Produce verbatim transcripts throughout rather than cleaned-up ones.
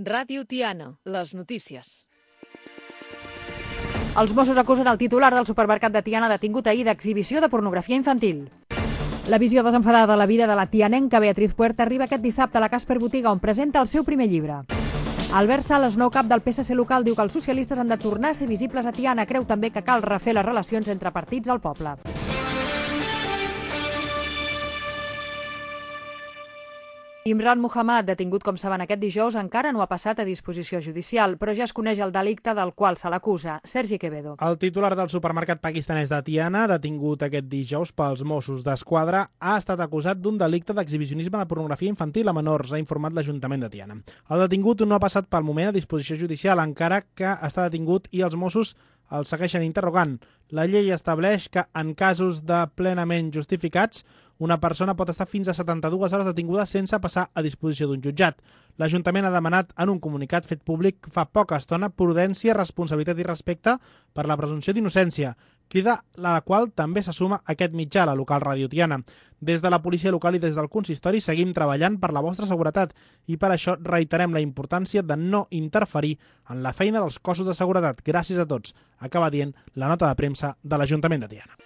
Ràdio Tiana, les notícies. Els Mossos acusen el titular del supermercat de Tiana detingut ahir d'exhibició de pornografia infantil. La visió desenfadada de la vida de la tianenca Beatriz Puerta arriba aquest dissabte a la Casper Botiga, on presenta el seu primer llibre. Albert Sales, nou cap del P S C local, diu que els socialistes han de tornar a ser visibles a Tiana. Creu també que cal refer les relacions entre partits al poble. Imran Muhammad, detingut com saben aquest dijous, encara no ha passat a disposició judicial, però ja es coneix el delicte del qual se l'acusa. Sergi Quevedo. El titular del supermercat pakistanès de Tiana, detingut aquest dijous pels Mossos d'Esquadra, ha estat acusat d'un delicte d'exhibicionisme de pornografia infantil a menors, ha informat l'Ajuntament de Tiana. El detingut no ha passat pel moment a disposició judicial, encara que està detingut i els Mossos el segueixen interrogant. La llei estableix que en casos de plenament justificats una persona pot estar fins a setanta-dues hores detinguda sense passar a disposició d'un jutjat. L'Ajuntament ha demanat en un comunicat fet públic fa poca estona prudència, responsabilitat i respecte per la presumpció d'innocència, crida a la qual també se suma aquest mitjà, la local Ràdio Tiana. Des de la policia local i des del consistori seguim treballant per la vostra seguretat i per això reiterem la importància de no interferir en la feina dels cossos de seguretat. Gràcies a tots, acaba dient la nota de premsa de l'Ajuntament de Tiana.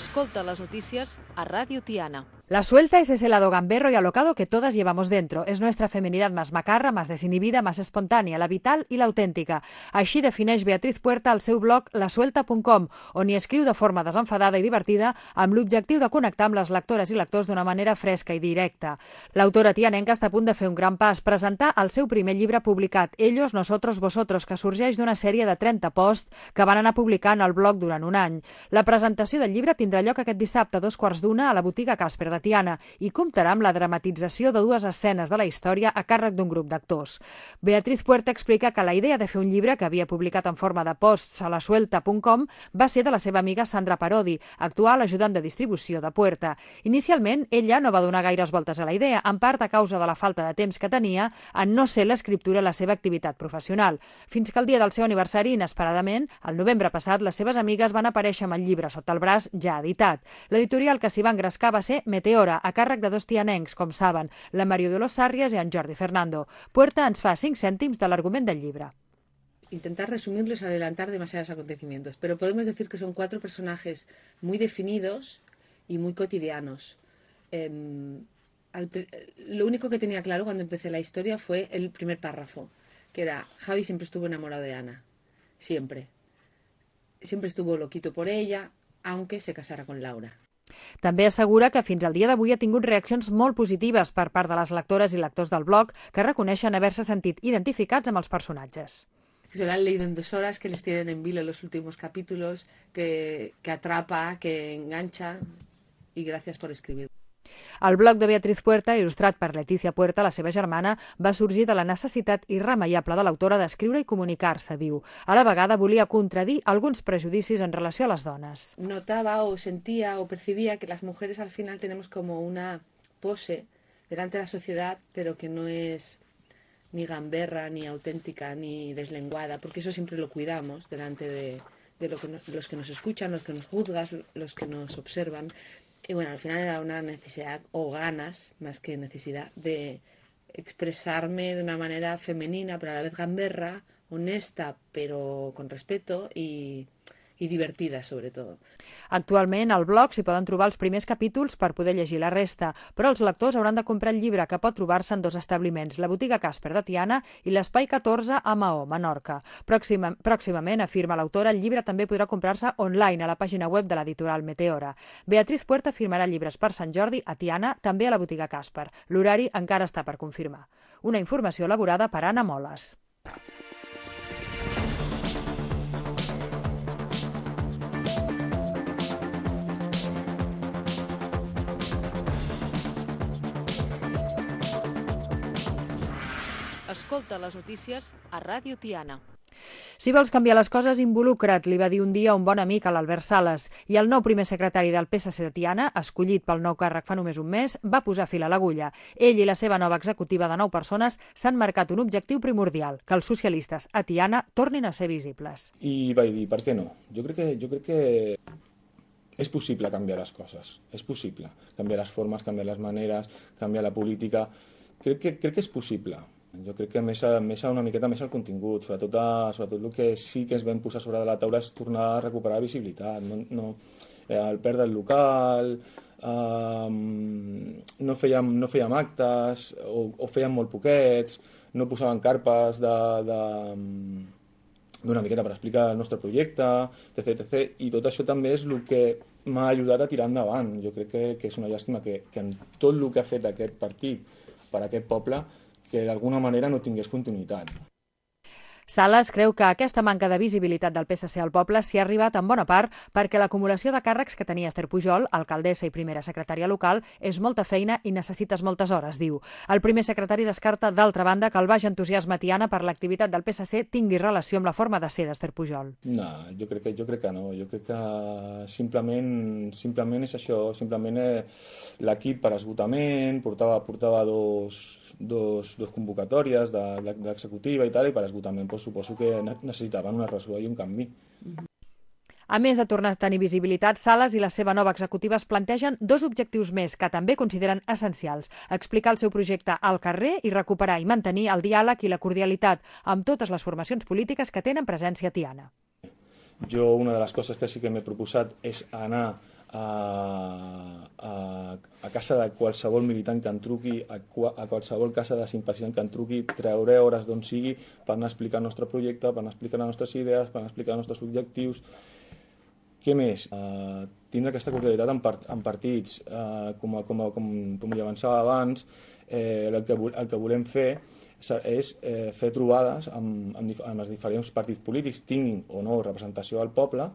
Escolta les notícies a Ràdio Tiana. La suelta es ese lado gamberro y alocado que todas llevamos dentro. Es nuestra feminidad más macarra, más desinhibida, más espontània, la vital i l'autèntica. Així defineix Beatriz Puerta al seu blog la suelta punt com, on hi escriu de forma desenfadada i divertida amb l'objectiu de connectar amb les lectores i lectors d'una manera fresca i directa. L'autora tianenca està a punt de fer un gran pas, presentar el seu primer llibre publicat, Ellos, Nosotros, Vosotros, que sorgeix d'una sèrie de trenta posts que van anar publicant al blog durant un any. La presentació del llibre tindrà lloc aquest dissabte a dos quarts d'una a la botiga Casper de Tiana i comptarà amb la dramatització de dues escenes de la història a càrrec d'un grup d'actors. Beatriz Puerta explica que la idea de fer un llibre que havia publicat en forma de posts a la suelta punt com va ser de la seva amiga Sandra Parodi, actual ajudant de distribució de Puerta. Inicialment, ella no va donar gaires voltes a la idea, en part a causa de la falta de temps que tenia en no ser l'escriptura la seva activitat professional. Fins que el dia del seu aniversari, inesperadament, el novembre passat, les seves amigues van aparèixer amb el llibre sota el braç ja editat. L'editorial que s'hi va engrescar va ser Meteora, a càrrec de dos tianencs, com saben, la Mario de los Sarrias i en Jordi Fernando. Puerta ens fa cinc cèntims de l'argument del llibre. Intentar resumirlos, adelantar demasiados acontecimientos, pero podemos decir que son cuatro personajes muy definidos y muy cotidianos. Eh, al, lo único que tenía claro cuando empecé la historia fue el primer párrafo, que era: Javi siempre estuvo enamorado de Ana, siempre. Siempre estuvo loquito por ella, aunque se casara con Laura. També assegura que fins al dia d'avui ha tingut reaccions molt positives per part de les lectores i lectors del blog, que reconeixen haver-se sentit identificats amb els personatges. Que se lo han leído en dos horas, que les tienen en vilo los últimos capítulos, que, que atrapa, que engancha, y gracias por escribir. El blog de Beatriz Puerta, il·lustrat per Leticia Puerta, la seva germana, va sorgir de la necessitat irremeiable de l'autora d'escriure i comunicar-se, diu. A la vegada volia contradir alguns prejudicis en relació a les dones. Notaba o sentía o percibía que las mujeres al final tenemos como una pose delante de la sociedad, pero que no es ni gamberra, ni auténtica, ni deslenguada, porque eso siempre lo cuidamos delante de, de lo que no, los que nos escuchan, los que nos juzgan, los que nos observan. Y bueno, al final era una necesidad o ganas, más que necesidad, de expresarme de una manera femenina, pero a la vez gamberra, honesta, pero con respeto y, i divertida, sobretot. Actualment, al blog s'hi poden trobar els primers capítols per poder llegir la resta, però els lectors hauran de comprar el llibre, que pot trobar-se en dos establiments, la botiga Casper de Tiana i l'Espai catorze a Maó, Menorca. Pròxima, pròximament, afirma l'autora, el llibre també podrà comprar-se online a la pàgina web de l'editorial Meteora. Beatriz Puerta firmarà llibres per Sant Jordi a Tiana, també a la botiga Casper. L'horari encara està per confirmar. Una informació elaborada per Anna Moles. Escolta les notícies a Ràdio Tiana. Si vols canviar les coses, involucra't, li va dir un dia un bon amic a l'Albert Sales. I el nou primer secretari del P S C de Tiana, escollit pel nou càrrec fa només un mes, va posar fil a l'agulla. Ell i la seva nova executiva de nou persones s'han marcat un objectiu primordial, que els socialistes a Tiana tornin a ser visibles. I vaig dir, per què no? Jo crec que, jo crec que és possible canviar les coses, és possible canviar les formes, canviar les maneres, canviar la política. Crec que, crec que és possible. Jo crec que més, més una miqueta més el contingut, sobretot, a, sobretot el que sí que es vam posar sobre de la taula és tornar a recuperar visibilitat. No, no, eh, el perdre el local, eh, no, fèiem, no fèiem actes o, o fèiem molt poquets, no posaven carpes de... de d'una miqueta per explicar el nostre projecte, etcètera, etcètera. I tot això també és el que m'ha ajudat a tirar endavant. Jo crec que, que és una llàstima que, que en tot el que ha fet aquest partit per a aquest poble, que d'alguna manera no tingués continuïtat. Sales creu que aquesta manca de visibilitat del P S C al poble s'hi ha arribat en bona part perquè l'acumulació de càrrecs que tenia Esther Pujol, alcaldessa i primera secretària local, és molta feina i necessites moltes hores, diu. El primer secretari descarta, d'altra banda, que el baix entusiasme tiana per l'activitat del P S C tingui relació amb la forma de ser d'Esther Pujol. No, jo crec que, jo crec que no. Jo crec que simplement, simplement és això, simplement l'equip per esgotament, portava, portava dos, dos, dos convocatòries de, de, de l'executiva i tal, i per esgotament doncs, suposo que necessitaven una resola i un canvi. A més de tornar a tenir visibilitat, Sales i la seva nova executiva es plantegen dos objectius més que també consideren essencials. Explicar el seu projecte al carrer i recuperar i mantenir el diàleg i la cordialitat amb totes les formacions polítiques que tenen presència a Tiana. Jo una de les coses que sí que m'he proposat és anar a, a, a casa de qualsevol militant que en truqui, a, a qualsevol casa de simpatitzant que en truqui, treure hores d'on sigui per anar a explicar el nostre projecte, per anar a explicar les nostres idees, per anar a explicar els nostres objectius. Què més? Uh, tindre aquesta cordialitat en, part, en partits, uh, com, com, com, com li avançava abans, eh, el, que, el que volem fer és eh, fer trobades amb, amb, amb els diferents partits polítics, tinguin o no representació al poble,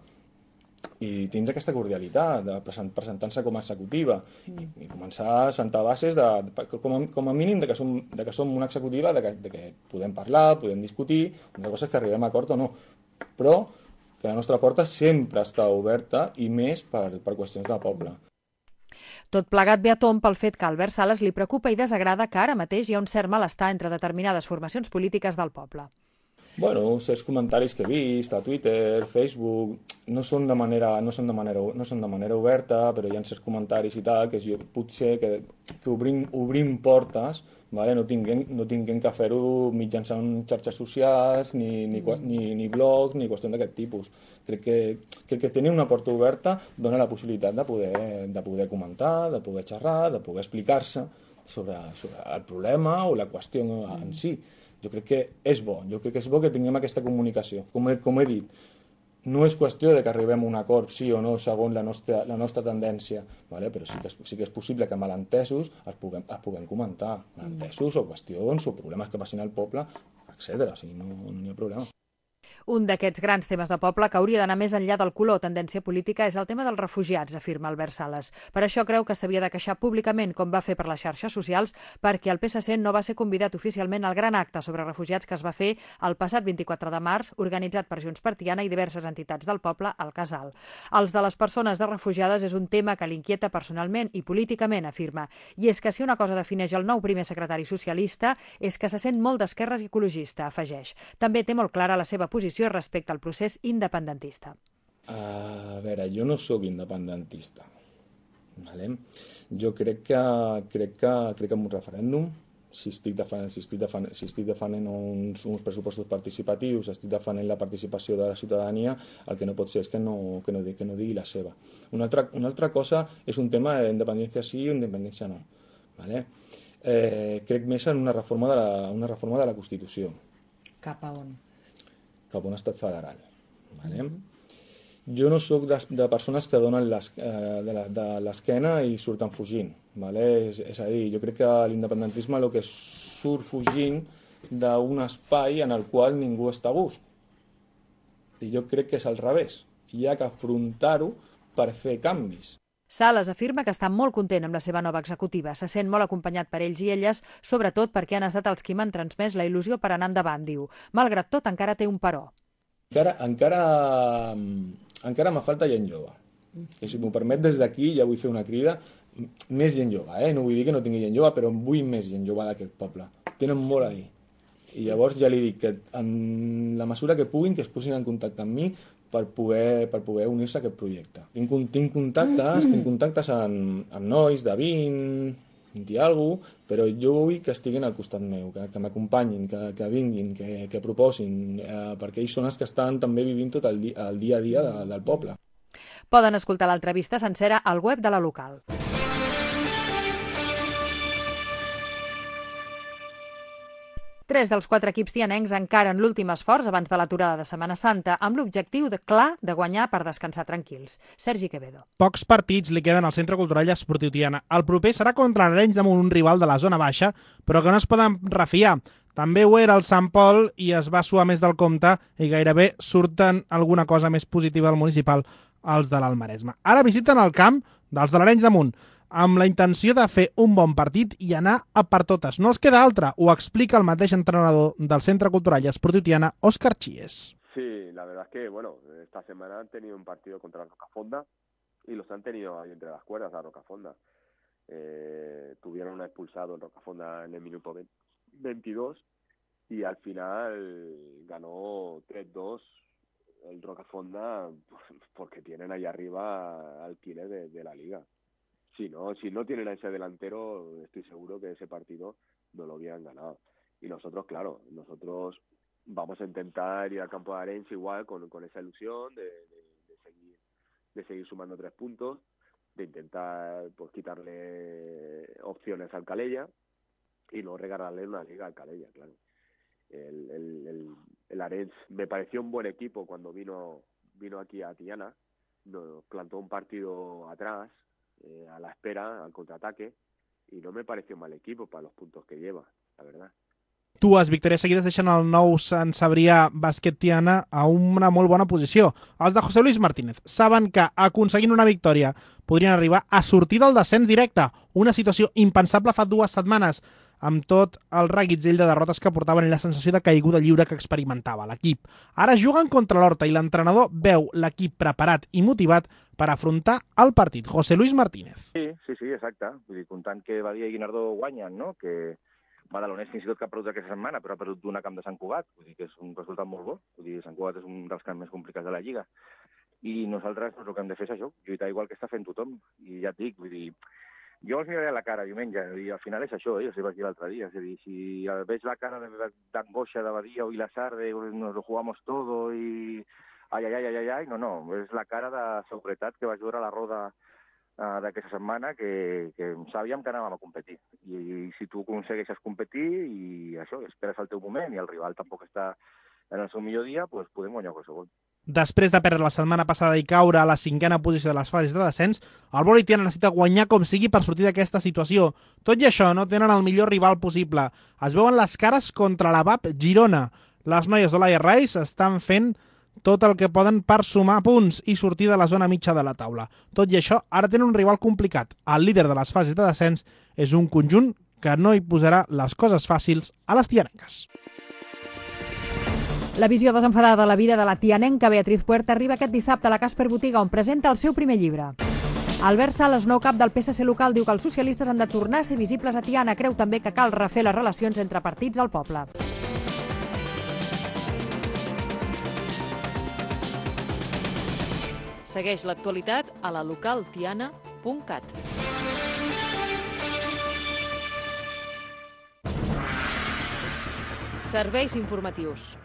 i tindre aquesta cordialitat, de present, presentant-se com a executiva i, i començar a sentar bases de, de, com, a, com a mínim de que, som, de que som una executiva, de que, de que podem parlar, podem discutir, una cosa és que arribem a acord o no, però que la nostra porta sempre està oberta i més per, per qüestions de poble. Tot plegat ve a tomb pel fet que a Albert Sales li preocupa i desagrada que ara mateix hi ha un cert malestar entre determinades formacions polítiques del poble. Bueno, certs comentaris que he vist a Twitter, Facebook, no són de manera, no són de manera, no són de manera oberta, però hi ha certs comentaris i tal, que jo, potser que, que obrim, obrim portes, vale? no tinguem, no tinguem que fer-ho mitjançant xarxes socials, ni, ni, ni, ni blogs, ni qüestions d'aquest tipus. Crec que, que, que tenir una porta oberta dona la possibilitat de poder, de poder comentar, de poder xerrar, de poder explicar-se sobre, sobre el problema o la qüestió en si. Jo crec que és bo, jo crec que és bo que tinguem aquesta comunicació. Com he, com he dit, no és qüestió de que arribem a un acord sí o no segons la nostra, la nostra tendència, vale? Però sí que, és, sí que és possible que malentesos es puguem, es puguem comentar, malentesos o qüestions o problemes que passin al poble, etcètera. O sigui, no, no hi ha problema. Un d'aquests grans temes de poble que hauria d'anar més enllà del color o tendència política és el tema dels refugiats, afirma Albert Sales. Per això creu que s'havia de queixar públicament, com va fer per les xarxes socials, perquè el P S C no va ser convidat oficialment al gran acte sobre refugiats que es va fer el passat vint-i-quatre de març, organitzat per Junts per Tiana i diverses entitats del poble al Casal. Els de les persones de refugiades és un tema que l'inquieta personalment i políticament, afirma. I és que si una cosa defineix el nou primer secretari socialista és que se sent molt d'esquerres i ecologista, afegeix. També té molt clara la seva posició respecte al procés independentista. A veure, jo no sóc independentista. Vale? Jo crec que, crec que, crec que en un referèndum, si estic defenent, si estic defenent, si estic defenent uns, uns pressupostos participatius, estic defenent la participació de la ciutadania, el que no pot ser és que no, que no, que no digui la seva. Una altra, una altra cosa és un tema d'independència sí o independència no. Vale? Eh, crec més en una reforma de la, una reforma de la Constitució. Cap a on? Cap a un estat federal. Vale? Mm-hmm. Jo no sóc de, de persones que donen les, eh, de l'esquena i surten fugint. Vale? És, és a dir, jo crec que l'independentisme el que surt fugint d'un espai en el qual ningú està a gust. I jo crec que és al revés. Hi ha que afrontar-ho per fer canvis. Sales afirma que està molt content amb la seva nova executiva. Se sent molt acompanyat per ells i elles, sobretot perquè han estat els qui m'han transmès la il·lusió per anar endavant, diu. Malgrat tot, encara té un però. Encara, encara, encara me falta gent jove. I si m'ho permet, des d'aquí ja vull fer una crida. Més gent jove, eh? No vull dir que no tingui gent jove, però vull més gent jove d'aquest poble. Tenen molt a dir. I llavors ja li dic que en la mesura que puguin, que es posin en contacte amb mi per poder, per poder unir-se a aquest projecte. Tinc, tinc contactes, tinc contactes amb, amb nois de vint, vint i alguna cosa, però jo vull que estiguin al costat meu, que, que m'acompanyin, que, que vinguin, que, que proposin, eh, perquè ells són els que estan també vivint tot el, di el dia a dia de, del poble. Poden escoltar l'entrevista sencera al web de la local. Tres dels quatre equips tianencs encaren l'últim esforç abans de l'aturada de Setmana Santa amb l'objectiu de, clar de guanyar per descansar tranquils. Sergi Quevedo. Pocs partits li queden al Centre Cultural i Esportiu Tiana. El proper serà contra l'Arenys de Munt, un rival de la zona baixa, però que no es poden refiar. També ho era el Sant Pol i es va suar més del compte i gairebé surten alguna cosa més positiva al municipal els de l'Almaresme. Ara visiten el camp dels de l'Arenys de Munt, amb la intenció de fer un bon partit i anar a per totes. No els queda altra, ho explica el mateix entrenador del Centre Cultural y Esportiu Tiana, Óscar Chies. Sí, la verdad es que, bueno, esta semana han tenido un partido contra la Rocafonda y los han tenido ahí entre las cuerdas a Rocafonda. Eh, tuvieron un expulsado en Rocafonda en el minuto veintidós y al final ganó tres dos el Rocafonda porque tienen ahí arriba alquiler de, de la liga. Si no, si no tienen a ese delantero, estoy seguro que ese partido no lo hubieran ganado. Y nosotros, claro, nosotros vamos a intentar ir al campo de Arenys igual con, con esa ilusión de, de, de, seguir, de seguir sumando tres puntos, de intentar pues quitarle opciones al Calella y no regalarle una liga al Calella, claro. El, el, el, el Arenys me pareció un buen equipo cuando vino, vino aquí a Tiana, nos plantó un partido atrás, Eh, a la espera, al contraataque, i no me pareció mal equipo para los puntos que lleva, la verdad. Dues victòries seguides deixen el nou Sant Cebrià Bàsquet Tiana a una molt bona posició. Els de José Luis Martínez saben que aconseguint una victòria podrien arribar a sortir del descens directe, una situació impensable fa dues setmanes, amb tot el reguitzell de derrotes que portaven i la sensació de caiguda lliure que experimentava l'equip. Ara juguen contra l'Horta i l'entrenador veu l'equip preparat i motivat per afrontar el partit. José Luis Martínez. Sí, sí, sí, exacte. Vull dir, comptant que Badia i Guinardó guanyen, no? Que Badalonès fins i tot que ha perdut aquesta setmana, però ha perdut d'una camp de Sant Cugat, vull dir que és un resultat molt bo. Vull dir, Sant Cugat és un dels camps més complicats de la Lliga. I nosaltres doncs, el que hem de fer és això, lluitar igual que està fent tothom. I ja et dic, vull dir, jo els miraré a la cara diumenge, i al final és això, eh? Jo vaig dir l'altre dia, és a dir, si veig la cara d'angoixa de Badia o Vilassar, de nos lo jugamos todo i ai, ai, ai, ai, ai, no, no, és la cara de seguretat que vaig veure a la roda uh, d'aquesta setmana que, que sabíem que anàvem a competir. I, i si tu aconsegueixes competir i això, esperes el teu moment i el rival tampoc està en el seu millor dia, doncs podem guanyar qualsevol. Després de perdre la setmana passada i caure a la cinquena posició de les fases de descens, el Boli Tiana necessita guanyar com sigui per sortir d'aquesta situació. Tot i això, no tenen el millor rival possible. Es veuen les cares contra la V A P Girona. Les noies d'Olaia Rice estan fent tot el que poden per sumar punts i sortir de la zona mitja de la taula. Tot i això, ara tenen un rival complicat. El líder de les fases de descens és un conjunt que no hi posarà les coses fàcils a les tianenques. La visió desenfadada de la vida de la tianenca Beatriz Puerta arriba aquest dissabte a la Casper Botiga, on presenta el seu primer llibre. Albert Sales, nou cap del P S C local, diu que els socialistes han de tornar a ser visibles a Tiana. Creu també que cal refer les relacions entre partits al poble. Segueix l'actualitat a la local tiana punt cat. Serveis informatius.